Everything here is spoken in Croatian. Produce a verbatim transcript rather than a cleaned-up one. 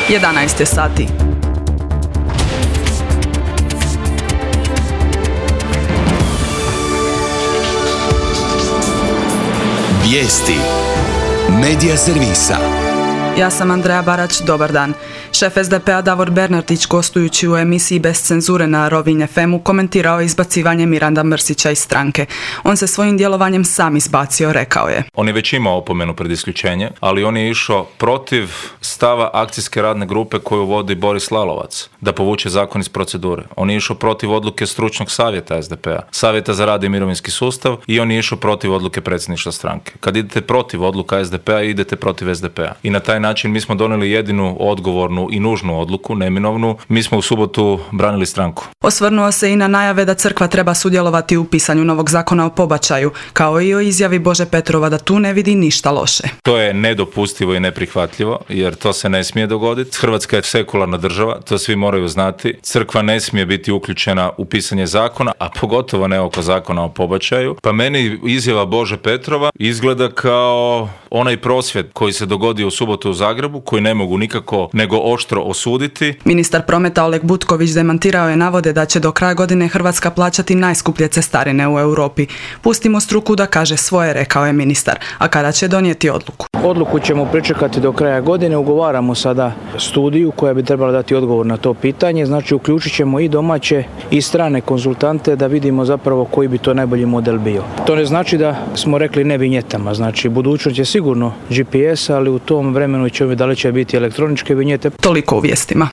jedanaest je sati. Vijesti Medija servisa. Ja sam Andreja Barać, dobar dan. Šef es de pe a Davor Bernardić, gostujući u emisiji Bez cenzure na Rovinj ef emu, komentirao izbacivanje Miranda Mrsića iz stranke. On se svojim djelovanjem sam izbacio, rekao je. On je već imao opomenu pred isključenje, ali on je išao protiv stava akcijske radne grupe koju vodi Boris Lalovac, da povuče zakon iz procedure. On je išao protiv odluke stručnog savjeta es de pe a, savjeta za rad i mirovinski sustav, i on je išao protiv odluke predsjedništva stranke. Kad idete protiv odluka es de pe a, idete protiv es de pe a. I na taj način mi smo donijeli jedinu odgovornu i nužnu odluku, neminovnu. Mi smo u subotu branili stranku. Osvrnuo se i na najave da crkva treba sudjelovati u pisanju novog zakona o pobačaju, kao i o izjavi Bože Petrova da tu ne vidi ništa loše. To je nedopustivo i neprihvatljivo, jer to se ne smije dogoditi. Hrvatska je sekularna država, to svi moraju znati. Crkva ne smije biti uključena u pisanje zakona, a pogotovo ne oko zakona o pobačaju. Pa meni izjava Bože Petrova izgleda kao onaj prosvjed koji se dogodio u subotu u Zagrebu, koji ne mogu nikako nego oštro osuditi. Ministar prometa Oleg Butković demantirao je navode da će do kraja godine Hrvatska plaćati najskuplje cestarine u Europi. Pustimo struku da kaže svoje, rekao je ministar. A kada će donijeti odluku? Odluku ćemo pričekati do kraja godine. Ugovaramo sada studiju koja bi trebala dati odgovor na to pitanje. Znači uključit ćemo i domaće i strane konzultante da vidimo zapravo koji bi to najbolji model bio. To ne znači da smo rekli ne vinjetama. Znači budućnost je sigurno G P S, ali u tom vremenu će da li će biti elektroničke vinjete. Toliko u vijestima.